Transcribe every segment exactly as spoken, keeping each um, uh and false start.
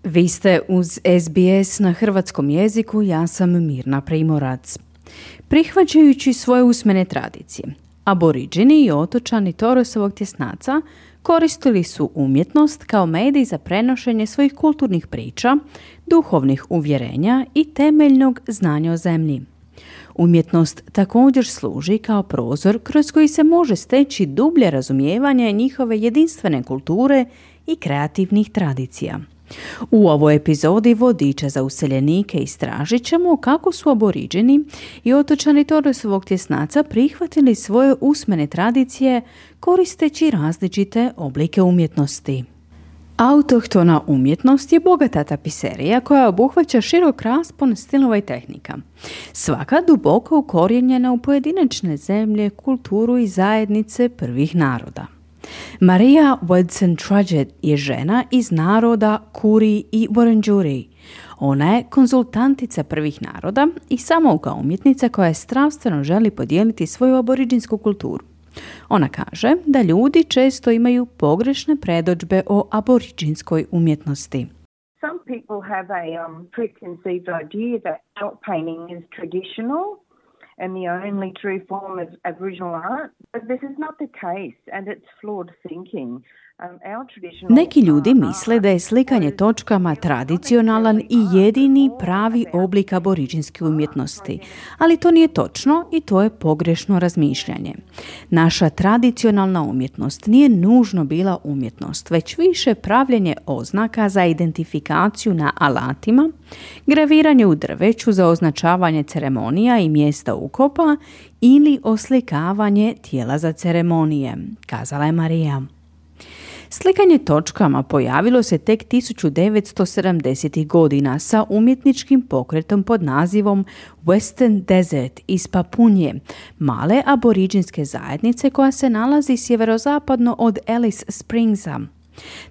Vi ste uz S B S na hrvatskom jeziku, ja sam Mirna Primorac. Prihvaćajući svoje usmene tradicije, Aboriđini i otočani Torresovog tjesnaca koristili su umjetnost kao medij za prenošenje svojih kulturnih priča, duhovnih uvjerenja i temeljnog znanja o zemlji. Umjetnost također služi kao prozor kroz koji se može steći dublje razumijevanje njihove jedinstvene kulture i kreativnih tradicija. U ovoj epizodi Vodiča za useljenike istražit ćemo kako su Aboriđini i otočani Torresovog tjesnaca prihvatili svoje usmene tradicije koristeći različite oblike umjetnosti. Autohtona umjetnost je bogata tapiserija koja obuhvaća širok raspon stilova i tehnika. Svaka duboko ukorijenjena u pojedinačne zemlje, kulturu i zajednice prvih naroda. Maria Woodson-Trudgett je žena iz naroda Kuri i Wurundjeri. Ona je konzultantica prvih naroda i samouka umjetnica koja strastveno želi podijeliti svoju aboriđinsku kulturu. Ona kaže da ljudi često imaju pogrešne predodžbe o aboriđinskoj umjetnosti. Some people have a um, preconceived idea that felt painting is traditional and the only true form of Aboriginal art, but this is not the case and it's flawed thinking. Neki ljudi misle da je slikanje točkama tradicionalan i jedini pravi oblik aboriđinske umjetnosti, ali to nije točno i to je pogrešno razmišljanje. Naša tradicionalna umjetnost nije nužno bila umjetnost, već više pravljenje oznaka za identifikaciju na alatima, graviranje u drveću za označavanje ceremonija i mjesta ukopa ili oslikavanje tijela za ceremonije, kazala je Marija. Slikanje točkama pojavilo se tek tisuću devetsto sedamdesetih godina sa umjetničkim pokretom pod nazivom Western Desert iz Papunje, male aboriđinske zajednice koja se nalazi sjeverozapadno od Alice Springsa.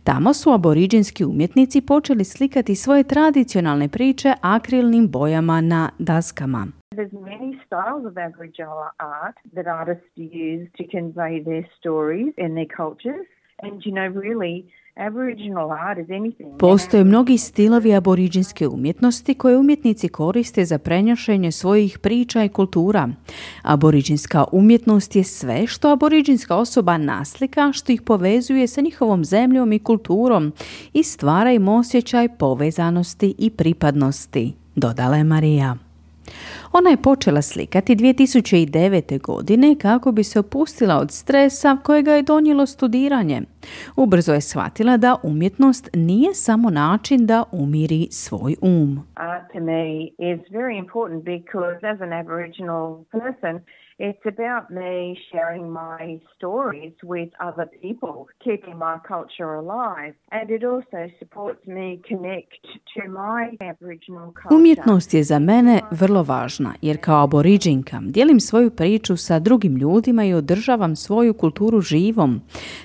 Tamo su aboriđinski umjetnici počeli slikati svoje tradicionalne priče akrilnim bojama na daskama. There's many styles of Aboriginal art that artists use to convey their stories and their cultures. And you know, really, Aboriginal art is anything. Postoje mnogi stilovi aboriđinske umjetnosti koje umjetnici koriste za prenošenje svojih priča i kultura. Aboriđinska umjetnost je sve što aboriđinska osoba naslika, što ih povezuje sa njihovom zemljom i kulturom i stvara im osjećaj povezanosti i pripadnosti, dodala je Marija. Ona je počela slikati dvije tisuće devete. godine kako bi se opustila od stresa kojega je donijelo studiranje. Ubrzo je shvatila da umjetnost nije samo način da umiri svoj um. Art to me is very important because as an Aboriginal person, it's about me sharing my stories with other people, keeping my culture alive, and it also supports me connect to my Aboriginal culture. Umjetnost je za mene vrlo važna, jer kao aboriđinka dijelim svoju priču sa drugim ljudima i održavam svoju kulturu živom.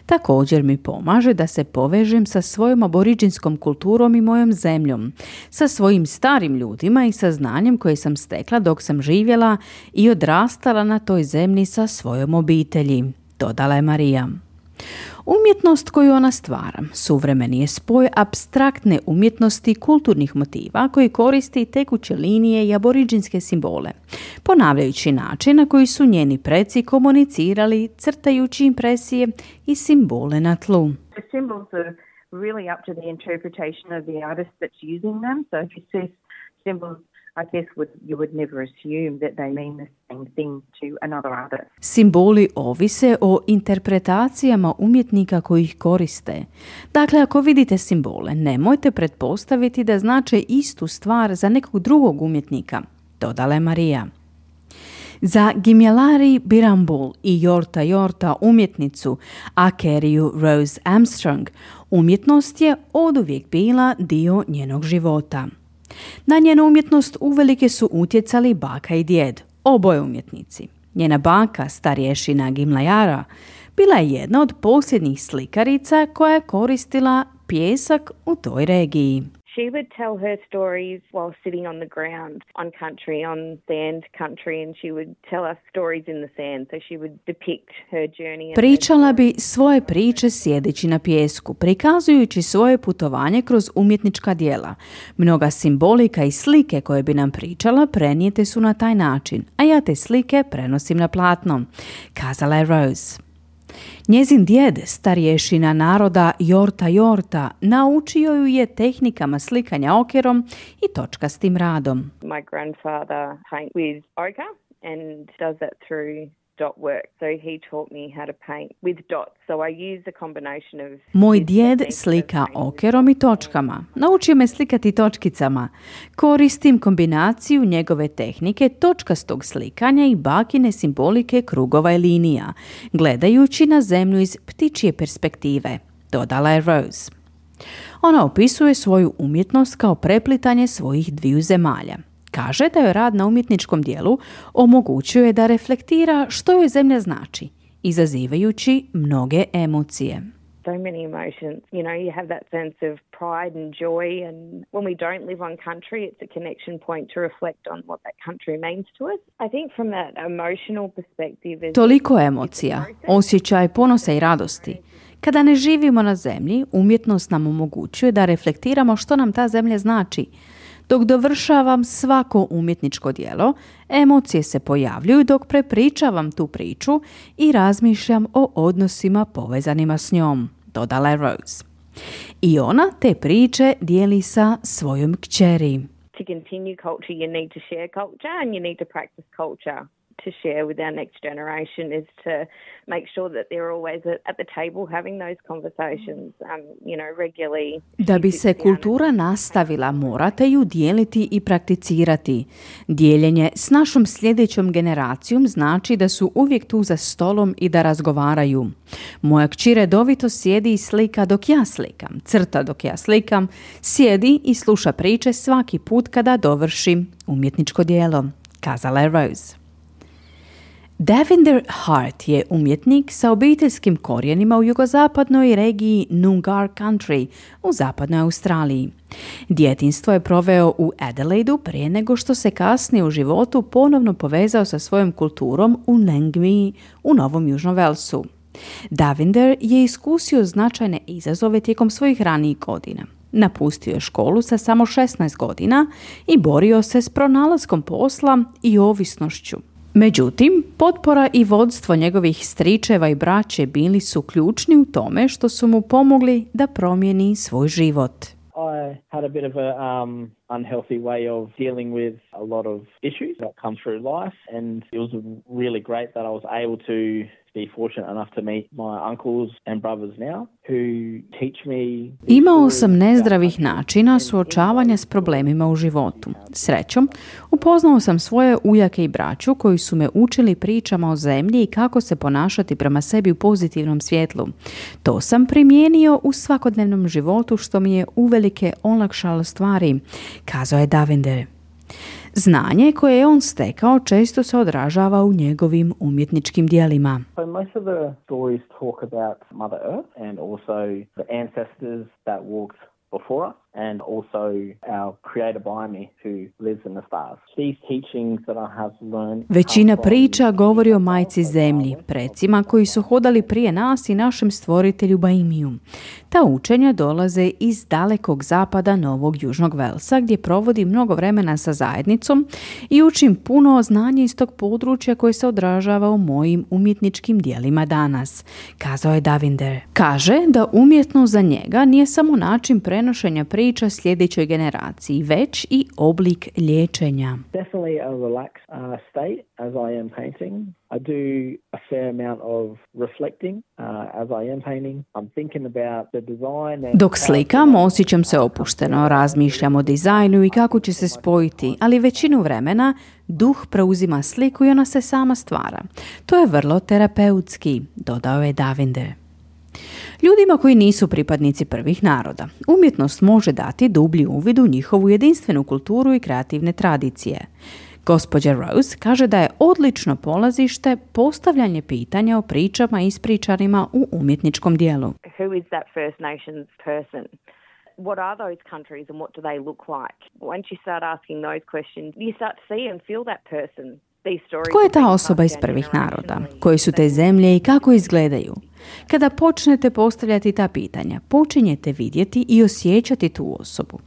Također mi pomaže da se povežem sa svojom aboriđinskom kulturom i mojom zemljom, sa svojim starim ljudima i sa znanjem koje sam stekla dok sam živjela i odrastala na toj zemlji sa svojom obitelji, dodala je Marija. Umjetnost koju ona stvara suvremeni je spoj apstraktne umjetnosti i kulturnih motiva koji koristi tekuće linije i aboriđinske simbole, ponavljajući način na koji su njeni preci komunicirali, crtajući impresije i simbole na tlu. The symbols are really up to the interpretation of the artist that's using them. So if you see symbols, I guess would, you would never assume that they mean the same thing to another artist. Simboli ovise o interpretacijama umjetnika koji ih koriste. Dakle, ako vidite simbole, nemojte pretpostaviti da znače istu stvar za nekog drugog umjetnika, dodala je Marija. Za Gimyalari Birambul i Yorta Yorta umjetnicu Akeriju Rose Armstrong, umjetnost je oduvijek bila dio njenog života. Na njenu umjetnost uvelike su utjecali baka i djed, oboje umjetnici. Njena baka, starješina Gimlayara, bila je jedna od posljednjih slikarica koja je koristila pijesak u toj regiji. She would tell her stories while sitting on the ground, on country, on sand country, and she would tell us stories in the sand. So she would depict her journey. Pričala bi svoje priče sjedeći na pijesku, prikazujući svoje putovanje kroz umjetnička djela. Mnoga simbolika i slike koje bi nam pričala prenijete su na taj način, a ja te slike prenosim na platno, kazala je Rose. Njezin djed, starješina naroda Yorta Yorta, naučio ju je tehnikama slikanja okerom i točkastim radom. My grandfather paint with ochre and does that through dot work. So he taught me how to paint with dots. So I use a combination of... Moj djed slika okerom i točkama. Naučio me slikati točkicama. Koristim kombinaciju njegove tehnike točkastog slikanja i bakine simbolike krugova i linija, gledajući na zemlju iz ptičje perspektive, dodala je Rose. Ona opisuje svoju umjetnost kao preplitanje svojih dviju zemalja. Kaže da joj rad na umjetničkom dijelu omogućuje da reflektira što joj zemlja znači, izazivajući mnoge emocije. So many emotions. You know, you have that sense of pride and joy, and when we don't live on country, it's a connection point to reflect on what that country means to us. I think from that emotional perspective... Toliko emocija, osjećaj ponosa i radosti. Kada ne živimo na zemlji, umjetnost nam omogućuje da reflektiramo što nam ta zemlja znači. Dok dovršavam svako umjetničko djelo, emocije se pojavljuju dok prepričavam tu priču i razmišljam o odnosima povezanima s njom, dodala je Rose. I ona te priče dijeli sa svojom kćeri. To continue culture, you need to share culture and you need to practice culture. To share with our next generation is to make sure that they're always at the table having those conversations, um, you know, regularly. Da bi se kultura nastavila, morate ju dijeliti i prakticirati. Dijeljenje s našom sljedećom generacijom znači da su uvijek tu za stolom i da razgovaraju. Moja kći redovito sjedi i slika dok ja slikam, crta dok ja slikam, sjedi i sluša priče svaki put kada dovršim umjetničko djelo, kazala je Rose. Davinder Hart je umjetnik sa obiteljskim korijenima u jugozapadnoj regiji Noongar Country u zapadnoj Australiji. Djetinjstvo je proveo u Adelaidu prije nego što se kasnije u životu ponovno povezao sa svojom kulturom u Nangmi u Novom Južnom Velsu. Davinder je iskusio značajne izazove tijekom svojih ranijih godina. Napustio je školu sa samo šesnaest godina i borio se s pronalaskom posla i ovisnošću. Međutim, potpora i vodstvo njegovih stričeva i braće bili su ključni u tome što su mu pomogli da promijeni svoj život. I had a bit of a um, unhealthy way of dealing with a lot of issues that come through life, and it was really great that I was able to be fortunate enough to meet my uncles and brothers now who teach me. Imao sam nezdravih načina suočavanja s problemima u životu. Srećom, upoznao sam svoje ujake i braću koji su me učili pričama o zemlji i kako se ponašati prema sebi u pozitivnom svjetlu. To sam primijenio u svakodnevnom životu što mi je uvelike olakšalo stvari, kazao je Davinder. Znanje koje je on stekao često se odražava u njegovim umjetničkim djelima. So most of the stories talk about Mother Earth and also the ancestors that walked before us, and also our creator by me who lives in the stars. These teachings that I have learned. Većina priča govori o majci zemlji, precima koji su hodali prije nas i našem stvoritelju Baimiju. Ta učenja dolaze iz dalekog zapada Novog Južnog Velsa, gdje provodi mnogo vremena sa zajednicom i učim puno znanja iz tog područja koje se odražava u mojim umjetničkim djelima danas, kazao je Davinder. Kaže da umjetnost za njega nije samo način prenošenja priča sljedećoj generaciji, već i oblik liječenja. Definitely a relaxed uh, state as I am painting. I do a fair amount of reflecting uh, as I am painting. I'm thinking about the design. And Dok slikam, osjećam se opušteno, razmišljam o dizajnu i kako će se spojiti, ali većinu vremena duh preuzima sliku i ona se sama stvara. To je vrlo terapeutski, dodao je Davinder. Ljudima koji nisu pripadnici prvih naroda, umjetnost može dati dublji uvid u njihovu jedinstvenu kulturu i kreativne tradicije. Gospođa Rose kaže da je odlično polazište postavljanje pitanja o pričama ispričanima u umjetničkom dijelu. Who is that First Nations person? what are those countries and what do they look like? Once you start asking those questions, you start to see and feel that person. Tko je ta osoba iz prvih naroda? Koji su te zemlje i kako izgledaju? Kada počnete postavljati ta pitanja, počinjete vidjeti i osjećati tu osobu.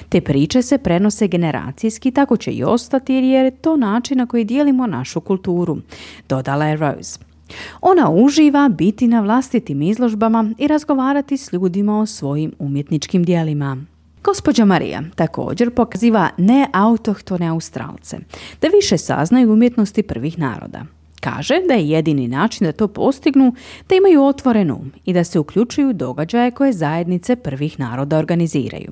Te priče se prenose generacijski, tako će i ostati jer je to način na koji dijelimo našu kulturu, dodala je Rose. Ona uživa biti na vlastitim izložbama i razgovarati s ljudima o svojim umjetničkim djelima. Gospođa Marija također pokaziva neautohtone Australce da više saznaju umjetnosti prvih naroda. Kaže da je jedini način da to postignu da imaju otvoren um i da se uključuju događaje koje zajednice prvih naroda organiziraju.